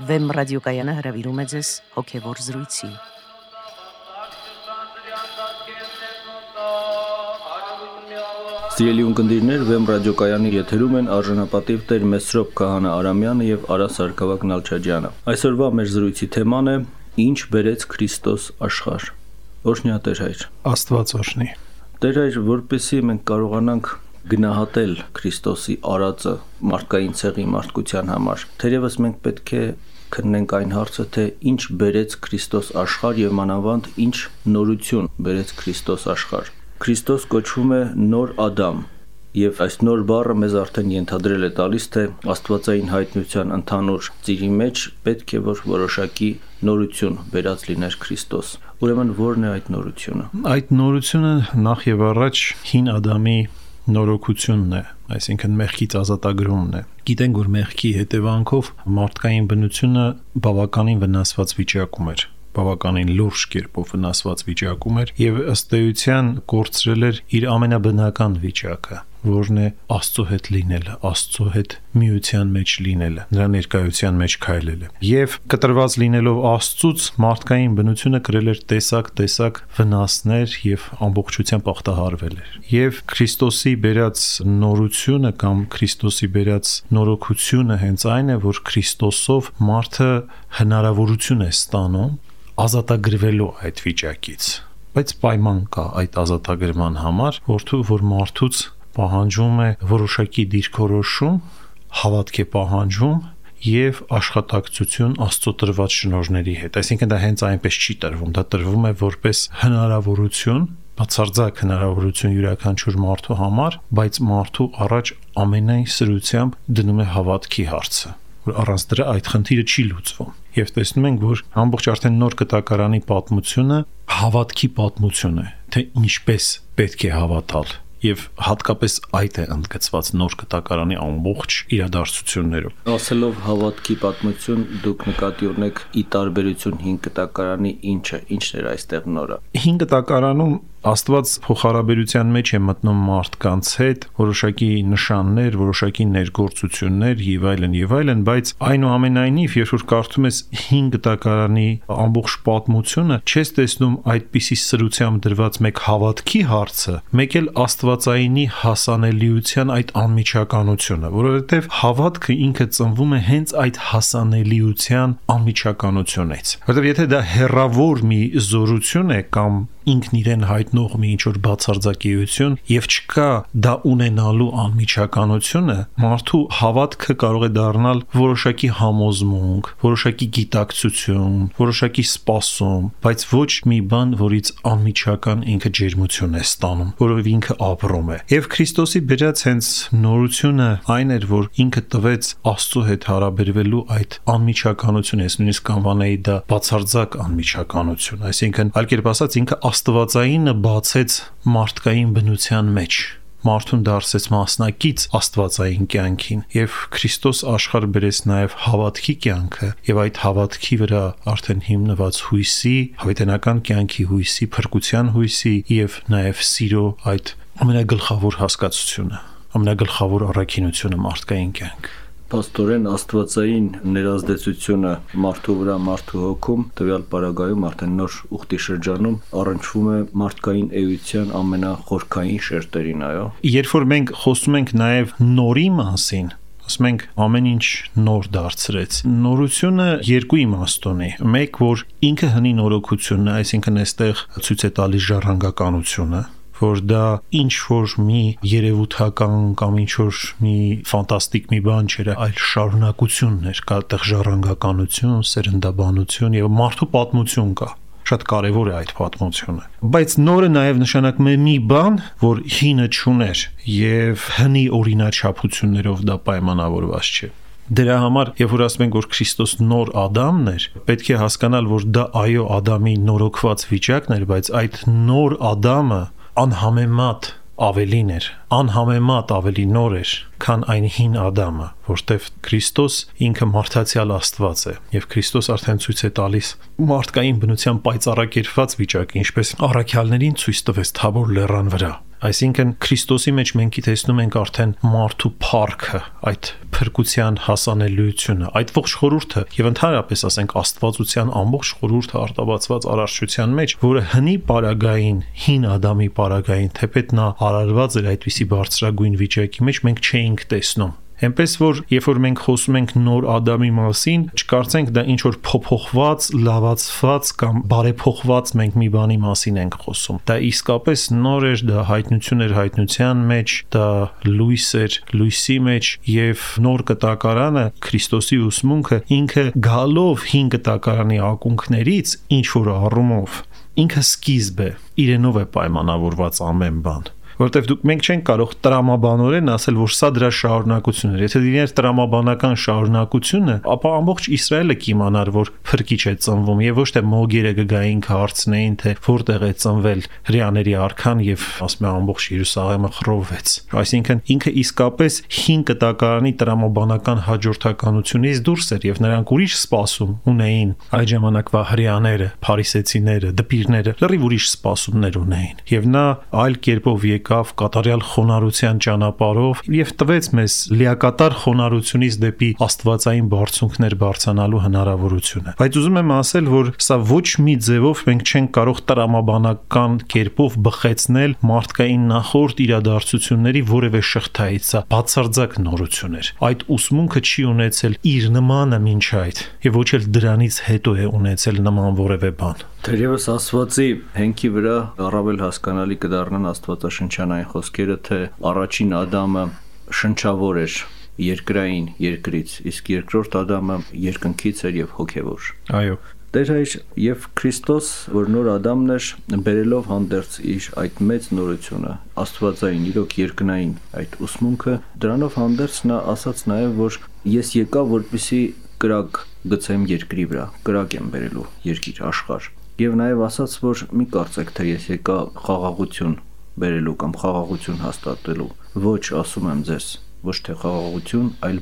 Վեմ ռադիոկայանը հրավիրում է ձեզ հոգևոր զրույցի։ Սիրելի ունկնդիրներ, Վեմ ռադիոկայանի եթերում են արժանապատիվ Տեր Մեսրոպ Քահանա Արամյանը եւ Արա Սարգսակ Նալչաջյանը։ Այսօրվա մեր զրույցի թեման է «Ինչ բերեց Քրիստոս աշխարհ»։ Օրհնյա Տեր Հայր։ Աստված օրհնի։ Տեր Հայր, որպեսզի մենք կարողանանք գնահատել Քրիստոսի արածը մարդկային ցեղի մարդկության համար, թերևս մենք պետք է քննենք այն հարցը, թե ինչ բերեց Քրիստոս աշխարհ եւ մանավանդ ինչ նորություն բերեց Քրիստոս աշխարհ։ Քրիստոս կոչվում է նոր Ադամ, եւ այս նոր բառը մեզ արդեն ենթադրել է տալիս, թե աստվածային հայտնության ընդհանուր ծիրի մեջ պետք է որ որոշակի նորություն բերած լիներ Քրիստոս։ Ուրեմն ո՞րն է այդ նորությունը։ Այդ նորությունը նախ եւ առաջ հին Ադամի նորոգությունն է, այսինքն մեղքից ազատագրումն է։ Գիտենք, որ մեղքի հետևանքով մարդկային բնությունը բավականին վնասված վիճակում էր, բավականին լուրջ կերպով վնասված վիճակում էր եւ ըստ էության կորցրել էր իր ամենաբնական վիճակը, որն է Աստծո հետ լինելը, Աստծո հետ միության մեջ լինելը, նրա ներկայության մեջ քայլելը։ Եվ կտրված լինելով Աստծուց մարդկային բնությունը կրել էր տեսակ վնասներ եւ ամբողջությամբ ախտահարվել էր։ Եվ Քրիստոսի բերած նորությունը կամ Քրիստոսի բերած նորոգությունը հենց այն է, որ Քրիստոսով մարդը հնարավորություն է ստանում ազատագրվելու այդ վիճակից, բայց պայման կա այդ ազատագրման համար, որ մարդուց պահանջում է որոշակի դիրքորոշում, հավատք է պահանջում եւ աշխատակցություն Աստծո տրված շնորհների հետ։ Այսինքն դա հենց այնպես չի տրվում, դա տրվում է որպես հնարավորություն, բացարձակ հնարավորություն յուրաքանչյուր մարդու համար, բայց մարդու առաջ ամենայն սրությամբ դնում է հավատքի հարցը, որ առանց դրա այդ խնդիրը չի լուծվում։ Եվ տեսնում ենք, որ ամբողջ արդեն նոր կտակարանի պատմությունը հավատքի պատմություն է, թե ինչպես պետք է հավատալ, եւ հատկապես այդ է ընդգծված նոր կտակարանի ամբողջ իրադարձություններով։ Ասելով հավատքի պատմություն, դուք նկատի ունեք ի տարբերություն հին կտակարանի ինչն էր այստեղ նորը։ Հին կտակարանում Աստված փոխհարաբերության մեջ է մտնում մարդկանց հետ, որոշակի նշաններ, որոշակի ներգործություններ եւ այլն, բայց այնուամենայնիվ, երբ որ կարդում ես հին կտակարանի ամբողջ պատմությունը, չես տեսնում այդպիսի սրությամբ դրված մեկ հավատքի հարցը, մեկ էլ աստվածայինի հասանելիության այդ անմիջականությունը, որովհետեւ հավատքը ինքը ծնվում է հենց այդ հասանելիության անմիջականությունից։ Որովհետեւ եթե դա հեռավոր մի զորություն է կամ ինքն իրեն հայտնող մի ինչ-որ բացարձակիություն եւ չկա դա ունենալու անմիջականությունը, մարդու հավատքը կարող է դառնալ որոշակի համոզմունք, որոշակի գիտակցություն, որոշակի սպասում, բայց ոչ մի բան, որից անմիջական ինքը ջերմություն է ստանում, որով ինքը ապրում է։ Եվ Քրիստոսի բերած հենց նորությունը այն էր, որ ինքը տվեց Աստծո հետ հարաբերվելու այդ անմիջականությունը, ես նույնիսկ կանվանեի դա բացարձակ անմիջականություն, այսինքն այլ կերպ ասած ինքը աստվածայինը բացեց մարդկային բնության մեջ, մարդուն դարձեց մասնակից աստվածային կյանքին եւ Քրիստոս աշխարհ բերեց նաեւ հավատքի կյանքը եւ այդ հավատքի վրա արդեն հիմնված հույսի, հավիտենական կյանքի հույսի, փրկության հույսի եւ նաեւ սիրո այդ ամենագլխավոր հասկացությունը, ամենագլխավոր առաքինությունը մարդկային կյանք։ Պաստորեն աստվածային ներազդեցությունը մարդու վրա, մարդու հոգում, տվյալ պարագայում արդեն նոր ուխտի շրջանում առնչվում է մարդկային էության ամենախորքային շերտերին, այո։ Երբ որ մենք խոսում ենք նաև նորի մասին, ասում ենք ամեն ինչ նոր դարձրեց։ Նորությունը երկու իմաստ ունի։ Մեկ, որ ինքը հնի նորոգությունն է, այսինքն այստեղ ցույց է տալիս ժառանգականությունը, որ դա ինչ որ մի երևութական կամ ինչ որ մի ֆանտաստիկ մի բան չէր, այլ շարունակությունն էր, կա այդտեղ ժառանգականություն, սերնդաբանություն եւ մարդու պատմություն կա։ Շատ կարևոր է այդ պատմությունը։ Բայց նորը նաև նշանակում է մի բան, որ հինը չուներ եւ հնի օրինաչափություններով դա պայմանավորված չէ։ Դրա համար, երբ որ ասում ենք, որ Քրիստոս նոր Ադամն էր, պետք է հասկանալ, որ դա այո Ադամի նորոգված վիճակն էր, բայց այդ նոր Ադամը անհամեմատ ավելին էր, անհամեմատ ավելի նոր էր, քան այն հին Ադամը, որտեվ Քրիստոս ինքը մարդացյալ Աստված է, եւ Քրիստոս արդեն ցույց է տալիս մարդկային բնության պայծառակերպված վիճակը, ինչպես առաքյալներին ցույց տվեց Թաբոր լեռան վրա, Այսինքն Քրիստոսի մեջ մենք տեսնում ենք արդեն մարդու փառքը, այդ փրկության հասանելիությունը, այդ ողջ խորհուրդը եւ ընդհանրապես ասենք Աստվածության ամբողջ խորհուրդը արտաբացված արարչության մեջ, որը հնի պարագային, հին Ադամի պարագային, թեպետ նա արարված էր այդպիսի բարձրագույն վիճակի մեջ, մենք չէինք տեսնում։ Այնպես որ երբ որ մենք խոսում ենք նոր Ադամի մասին, չկարծենք դա ինչ որ փոփոխված, լավացված կամ բարեփոխված մենք մի բանի մասին ենք խոսում։ Դա իսկապես նոր էր, դա հայտնություն էր հայտնության մեջ, դա լույս էր լույսի մեջ եւ նոր կտակարանը Քրիստոսի ուսմունքը ինքը գալով հին կտակարանի ակունքներից ինչ որ առումով ինքը սկիզբ է, իրենով է պայմանավորված ամեն բան։ Որտեվ դուք մենք չենք կարող տրամաբանորեն ասել, որ սա դրա շարունակությունն է։ Եթե դիներ տրամաբանական շարունակությունը, ապա ամբողջ Իսրայելը կիմանար, որ փրկիչ է ծնվում եւ ոչ թե մոգերը գային հարցնեին, թե որտեղ է ծնվել հрьяաների արքան եւ ասում է ամբողջ Երուսաղեմը խռովվեց։ Այսինքն ինքը իսկապես հին կտակարանի տրամաբանական հաջորդականությունից դուրս էր եւ նրանք ուրիշ սպասում ունեին այդ ժամանակվա հрьяաները, փարիսեցիները, դպիրները, լրիվ ուրիշ սպասումներ ունեին։ Եվ նա այլ կերպով կատարյալ խոնարհության ճանապարհով եւ տվեց մեզ լիակատար խոնարհությունից դեպի աստվածային բարձունքներ բարձրանալու հնարավորությունը։ Բայց ուզում եմ ասել, որ սա ոչ մի ձևով մենք չենք կարող տրամաբանական կերպով բխեցնել մարդկային նախորդ իրադարձությունների որևէ շղթայից, սա բացարձակ նորություն էր։ Այդ ուսմունքը չի ունեցել իր նմանը մինչ այդ եւ ոչ էլ դրանից հետո է ունեցել նման որևէ բան։ Թերևս Աստվածի հենքի վրա առավել հասկանալի կդառնան աստվածաշնչյան այն խոսքերը, թե առաջին Ադամը շնչավոր էր երկրային երկրից, իսկ երկրորդ Ադամը երկնքից էր եւ հոգեվոր։ Այո։ Տեր հայր եւ Քրիստոս, որ նոր Ադամն էր, բերելով հանդերձ իր այդ մեծ նորությունը, աստվածային, իրոք երկնային այդ ուսմունքը, դրանով հանդերձ նա ասաց նաեւ, որ ես եկա, որպեսզի կրակ գցեմ երկրի վրա, կրակ եմ բերելու երկիր, աշխարհ։ Եվ նաև ասաց, որ մի կարծեք, թե ես եկա խաղաղություն բերելու կամ խաղաղություն հաստատելու։ Ոչ, ասում եմ ձեզ, ոչ թե խաղաղություն, այլ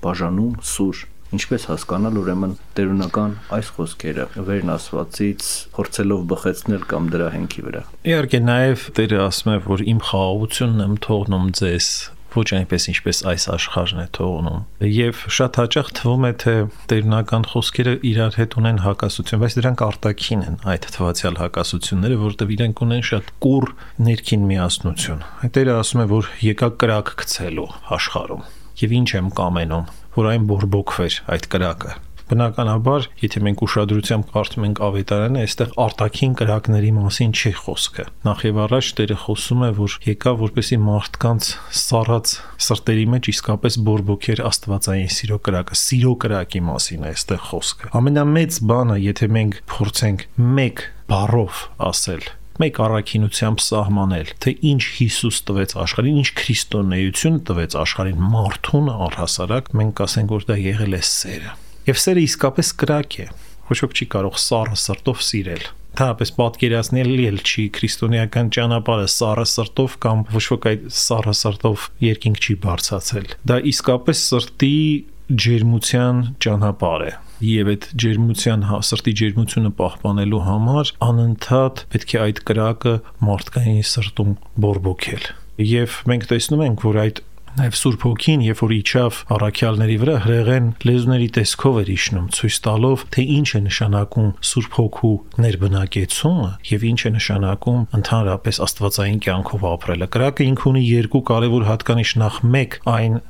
բաժանում, սուր։ Ինչպես հասկանալ ուրեմն տերունական այս խոսքերը վերն ասվածից փորձելով բխեցնել կամ դրա հենքի վրա։ Իհարկե նաև Տերը ասում է, որ իմ խաղաղությունն եմ թողնում ձեզ, ոչ այնպես ինչպես այս աշխարհն է թողնում։ Եվ շատ հաճախ թվում է, թե տերունական խոսքերը իրար հետ ունեն հակասություն, բայց դրանք արտաքին են այդ թվացial հակասությունները, որտեղ իրենք ունեն շատ կուռ ներքին միասնություն։ Տերը ասում է, որ եկա կրակ գցելու աշխարհում։ Եվ ինչ եմ կամենում, որ այն բորբոքվեր այդ կրակը։ Բնականաբար, եթե մենք ուշադրությամբ կարդում ենք ավետարանը, այստեղ արտաքին կրակների մասին չի խոսքը։ Նախ եւ առաջ Տերը խոսում է, որ եկա, որպեսզի մարդկանց սառած սրտերի մեջ իսկապես բորբոքեր աստվածային սիրո կրակի մասին է այստեղ խոսքը։ Ամենամեծ բանը, եթե մենք փորձենք մեկ բառով ասել, մեկ առաքինությամբ սահմանել, թե ինչ Հիսուս տվեց աշխարհին, ինչ քրիստոնեություն տվեց աշխարհին մարդուն առհասարակ, մենք կասենք, որ դա եղել է սերը։ Եվ սերը իսկապես կրակ է։ Ոչ ոք չի կարող սառը սրտով սիրել։ Թափես պատկերացնելի էլ չի քրիստոնեական ճանապարհը սառը սրտով կամ ոչ ոք այդ սառը սրտով երկինք չի բարձրացել։ Դա իսկապես սրտի ջերմության ճանապարհ է։ Եվ այդ սրտի ջերմությունը պահպանելու համար անընդհատ պետք է այդ կրակը մարդկային սրտում բորբոքել։ Եվ մենք տեսնում ենք, որ այդ Նաև Սուրբ Հոգին, երբ որ իջավ առաքյալների վրա, հրեղեն լեզուների տեսքով էր իջնում, ցույց տալով, թե ինչ է նշանակում Սուրբ Հոգու ներբնակեցումը եւ ինչ է նշանակում ընդհանրապես աստվածային կյանքով ապրելը։ Կրակը ինքը ունի երկու կարևոր հատկանիշ, նախ մեկ այն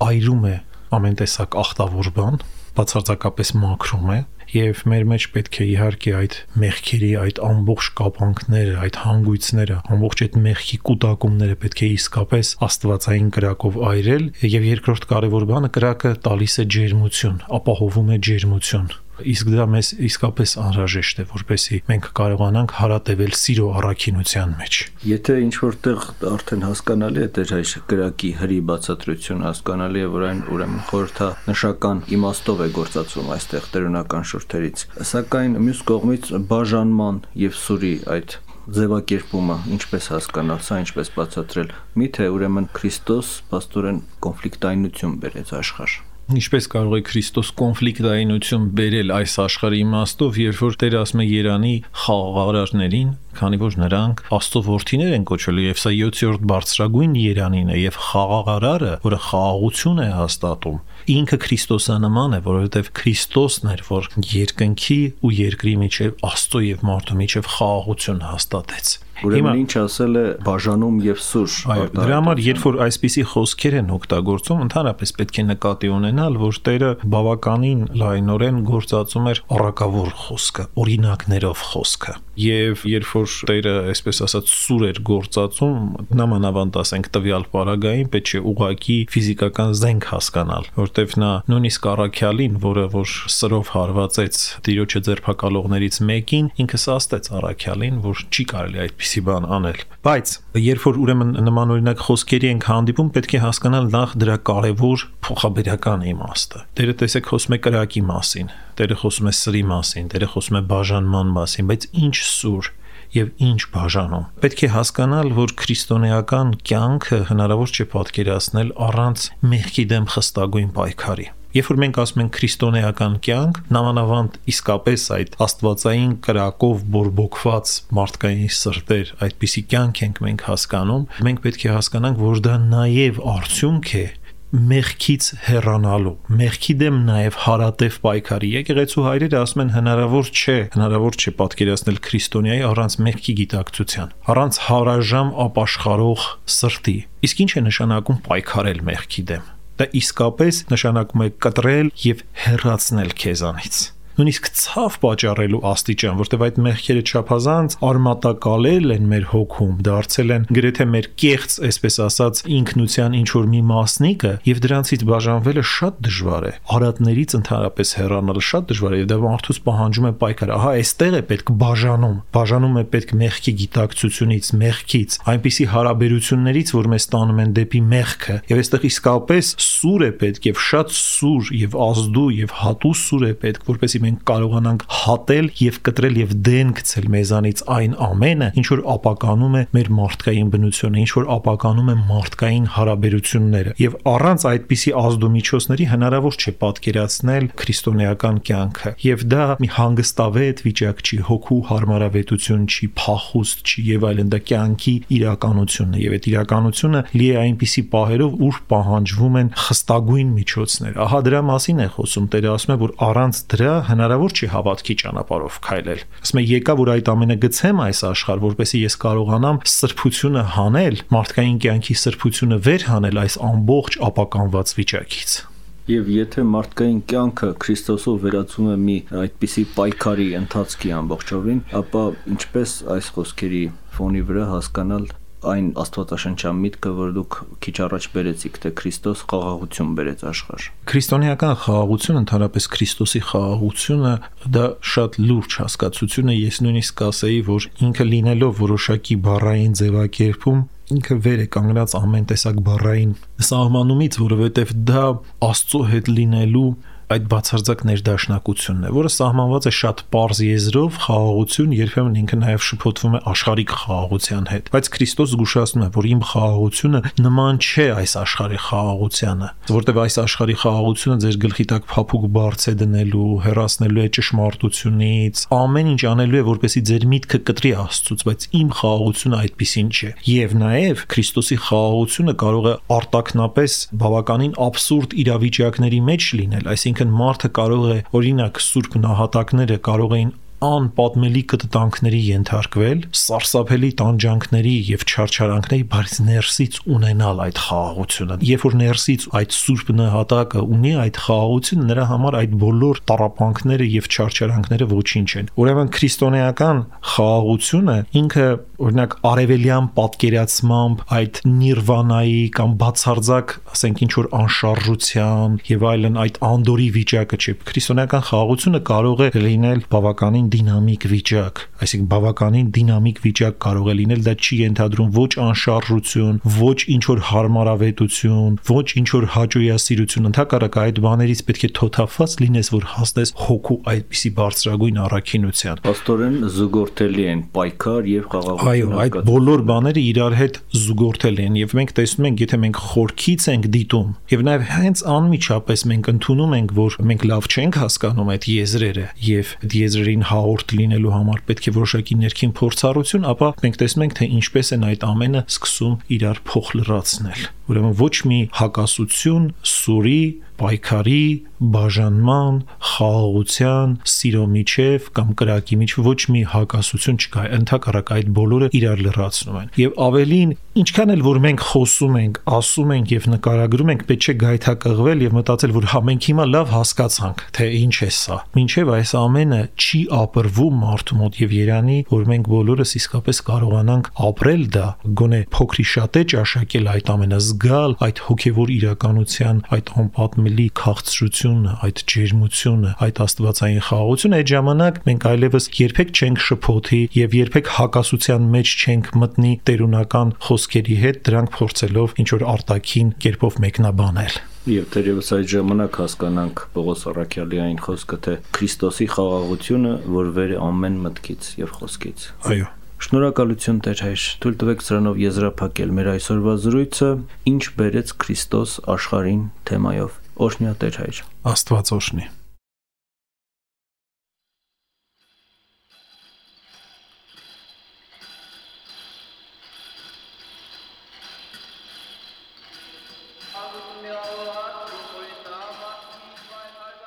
այրում է ամեն տեսակ ախտավոր բան, բացարձակապես մաքրում է, եւ մեր մեջ պետք է իհարկե այդ մեղքերի, այդ ամբողջ կապանքները, այդ հանգույցները, ամբողջ այդ մեղքի կուտակումները պետք է իսկապես աստվածային կրակով այրել, եւ երկրորդ կարևոր բանը կրակը տալիս է ջերմություն, ապահովում է ջերմություն։ Իսկ դա մեզ իսկապես անհրաժեշտ է, որպեսզի մենք կարողանանք հարատևել սիրո առաքինության մեջ։ Եթե ինչ որտեղ արդեն հասկանալի է դեր այս կրակի հրի բացատրություն, հասկանալի է, որ այն ուրեմն խորհրդանշական իմաստով է գործածվում այստեղ տերունական շուրթերից, սակայն մյուս կողմից բաժանման եւ սուրի այդ ձևակերպումը ինչպես հասկանալ, սա ինչպես բացատրել։ Միթե ուրեմն Քրիստոս պաստորեն կոնֆլիկտայնություն բերեց աշխարհ։ Ինչպես կարող է Քրիստոս կոնֆլիկտայինություն բերել այս աշխարհի իմաստով, երբ որ Տերը ասում է Երանի խաղաղարարներին, քանի որ նրանք Աստծո որդիներ են կոչվել, եւ սա 7-րդ բարձրագույն Երանին է, եւ խաղաղարարը, որը խաղաղություն է հաստատում, ինքը Քրիստոսանման է, որովհետեւ Քրիստոսն էր, որ երկնքի ու երկրի միջև Աստծո եւ մարդու միջև խաղաղություն հաստատեց։ Ուրեմն ինչ ասել է բաժանում եւ սուր։ Այո, դրա համար երբ որ այսպիսի խոսքեր են օգտագործում, ընդհանրապես պետք է նկատի ունենալ, որ Տերը բավականին լայնորեն գործածում էր առակավոր խոսքը, օրինակներով խոսքը։ Եվ երբ որ Տերը, այսպես ասած, սուր էր գործածում, նամանավանդ ասենք տվյալ պարագային պետք է ուղղակի ֆիզիկական զենք հասկանալ, որտեվ նա նույնիսկ առաքյալին, որը որ սրով հարվածեց Տիրոջը ձերբակալողներից մեկին, ինքը սաստեց առաքյալին, որ չի կարելի այդպիսի բան անել։ Բայց երբ որ ուրեմն նմանօրինակ խոսքերի ենք հանդիպում, պետք է հասկանալ նախ դրա կարևոր փոխաբերական իմաստը։ Տերը տեսեք խոսում է կրակի մասին, Տերը խոսում է սրի մասին, Տերը խոսում է բաժանման մասին, բայց ինչ սուր եւ ինչ բաժանում։ Պետք է հասկանալ, որ քրիստոնեական կյանքը հնարավոր չէ պատկերացնել առանց մեղքի դեմ խստագույն պայքարի։ Երբ որ մենք ասում ենք քրիստոնեական կյանք, նամանավանդ իսկապես այդ աստվածային կրակով բորբոքված մարդկային սրտեր, այդպիսի կյանք ենք մենք հասկանում, մենք պետք է հասկանանք, որ դա նաև արդյունք է մեղքից հեռանալու, մեղքի դեմ նաև հարատև պայքարի։ Եկեղեցու հայրերը ասում են հնարավոր չէ պատկերացնել քրիստոնեայի առանց մեղքի գիտակցության, առանց հարաժամ ապաշխարող սրտի։ Իսկ ինչ է նշանակում պայքարել մեղքի դեմ։ Դա իսկապես նշանակում է կտրել եւ հեռացնել քեզանից։ Նույնիսկ ցավ պատճառելու աստիճան, որտեղ այդ մեղքերը չափազանց արմատակալել են մեր հոգում, դարձել են գրեթե մեր կեղծ, այսպես ասած, ինքնության ինչ որ մի մասնիկը, եւ դրանցից բաժանվելը շատ դժվար է։ Արատներից ընդհանրապես հեռանալը շատ դժվար է, եւ դա մարդուց պահանջում է պայքար։ Ահա այստեղ է պետք բաժանում է պետք մեղքի գիտակցությունից, մեղքից, այնպիսի հարաբերություններից, որ մեզ տանում են դեպի մեղքը, եւ այստեղ իսկապես սուր է պետք եւ շատ սուր եւ ազդու եւ հատուս սուր է պետք, որպեսզի մենք կարողանանք հատել եւ կտրել եւ դեն գցել մեզանից այն ամենը, ինչ որ ապականում է մեր մարդկային բնությունը, ինչ որ ապականում է մարդկային հարաբերությունները։ Եվ առանց այդպիսի ազդումիջոցների հնարավոր չէ պատկերացնել քրիստոնեական կյանքը։ Եվ դա մի հանգստավետ վիճակ չի, հոգու հարմարավետություն չի, փախուստ չի եւ այլն, դա կյանքի իրականությունն է։ Եվ այդ իրականությունը լի է այնպիսի պահերով, ուր պահանջվում են խստագույն միջոցներ։ Ահա դրա մասին է խոսում։ Տերը ասում է, որ առանց դրա հնարավոր չի հավատքի ճանապարհով քայլել։ Ասում է եկա, որ այդ ամենը գցեմ այս աշխարհ, որպեսզի ես կարողանամ սրբությունը հանել, մարդկային կյանքի սրբությունը վեր հանել այս ամբողջ ապականված վիճակից։ Եվ եթե մարդկային կյանքը Քրիստոսով վերածվում է մի այդպիսի պայքարի ընթացքի ամբողջովին, ապա ինչպես այս խոսքերի ֆոնի վրա հասկանալ այն աստվածաշնչյան միտքը, որ դուք քիչ առաջ բերեցիք, թե Քրիստոս խաղաղություն բերեց աշխարհ։ Քրիստոնեական խաղաղությունը, ընդհանրապես Քրիստոսի խաղաղությունը, դա շատ լուրջ հասկացություն է։ Ես նույնիսկ կասեի, որ ինքը լինելով որոշակի բառային ձևակերպում, ինքը վեր է կանգնած ամեն տեսակ բառային սահմանումից, որովհետև դա Աստծո հետ լինելու այդ բացարձակ ներդաշնակությունն է, որը սահմանված է շատ պարզ եզրով, խաղաղություն երբեմն ինքը նաև շփոթվում է աշխարհիկ խաղաղության հետ, բայց Քրիստոս զգուշացնում է, որ իմ խաղաղությունը նման չէ այս աշխարհի խաղաղությանը, որտեղ այս աշխարհի խաղաղությունը ձեր գլխի տակ փափուկ բարձ է դնելու, հեռացնելու է ճշմարտությունից, ամեն ինչ անելու է, որպեսզի ձեր միտքը կտրի Աստծուց, բայց իմ խաղաղությունը այդպիսին չէ։ Եվ նաև Քրիստոսի խաղաղությունը կարող է արտաքնապես բավականին աբսուրդ իրավիճակների մեջ լինել, այսինքն մարդը կարող է, օրինակ, սուրբ նահատակները կարող էին անպատմելի կտտանքների ենթարկվել, սարսափելի տանջանքների եւ չարչարանքների, բայց ներսից ունենալ այդ խաղաղությունը։ Երբ որ ներսից այդ սուրբ նահատակը ունի այդ խաղաղությունը, նրա համար այդ բոլոր տառապանքները եւ չարչարանքները ոչինչ են։ Ուրեմն քրիստոնեական խաղաղությունը ինքը, օրինակ, արևելյան պատկերացմամբ այդ նիրվանայի կամ բացարձակ, ասենք, ինչ որ անշարժության եւ այլն այդ անդորի վիճակը չէ։ Քրիստոնեական խաղաղությունը կարող է լինել բավականին դինամիկ վիճակ, այսինքն բավականին դինամիկ վիճակ կարող է լինել, դա չի ենթադրում ոչ անշարժություն, ոչ ինչ որ հարմարավետություն, ոչ ինչ որ հաճոյասիրություն, ընդհակառակը այդ բաներից պետք է թոթափված լինես, որ հասնես հոգու այդպիսի բարձրագույն առաքինության։ Աստորեն զուգորդելի են պայքար եւ խաղաղություն։ Այո, այդ բոլոր բաները իրար հետ զուգորդել են եւ մենք տեսնում ենք, եթե մենք խորքից ենք դիտում եւ նաեւ հենց անմիջապես մենք ընդունում ենք, որ մենք լավ չենք հասկանում այդ եզրերը եւ այդ եզրերին հաղորդ լինելու համար պետք է որոշակի ներքին փորձառություն, ապա մենք տեսնում ենք, թե ինչպես են այդ ամենը սկսում իրար փոխլրացնել։ Ուրեմն ոչ մի հակասություն սուրի, պայքարի, բաժանման, խաղաղության, սիրո միջև կամ կրակի միջև ոչ մի հակասություն չկա, ընդհակառակը այդ բոլորը իրար լրացնում են։ Եվ ավելին, ինչքան էլ որ մենք խոսում ենք, ասում ենք եւ նկարագրում ենք, պետք չէ գայթակղվել եւ մտածել, որ հա մենք հիմա լավ հասկացանք, թե ինչ է սա։ Մինչեւ այս ամենը չի ապրվում մարդու մոտ եւ Երանի, որ մենք բոլորս իսկապես կարողանանք ապրել դա, գոնե փոքրի շատ է ճաշակել այդ ամենը, զգալ այդ հոգեվոր իրականության, այդ անպատմելի քաղցրությունը, այդ ջերմությունը, այդ աստվածային խաղաղությունը, այդ ժամանակ մենք այլևս երբեք չենք շփոթի եւ երբեք հակասության մեջ չենք մտնի տերունական խոսքերի հետ, դրանք փորձելով ինչ որ արտաքին կերպով մեկնաբանել։ Եվ թերևս այդ ժամանակ հասկանանք Պողոս առաքյալի այն խոսքը, թե Քրիստոսի խաղաղությունը, որ վեր է ամեն մտքից եւ խոսքից։ Այո։ Շնորհակալություն Տեր հայր, թույլ տվեք սրանով եզրափակել մեր այսօրվա զրույցը, ինչ բերեց Քրիստոս աշխարհին թեմայով։ Օրհնյա Տեր հայր։ Աստված օրհնի։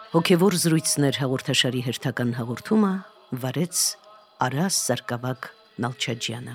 Հոգևոր զրույցներ հաղորդաշարի հերթական հաղորդումը վարեց Արաս Սարգսակ Նալչաջյանը։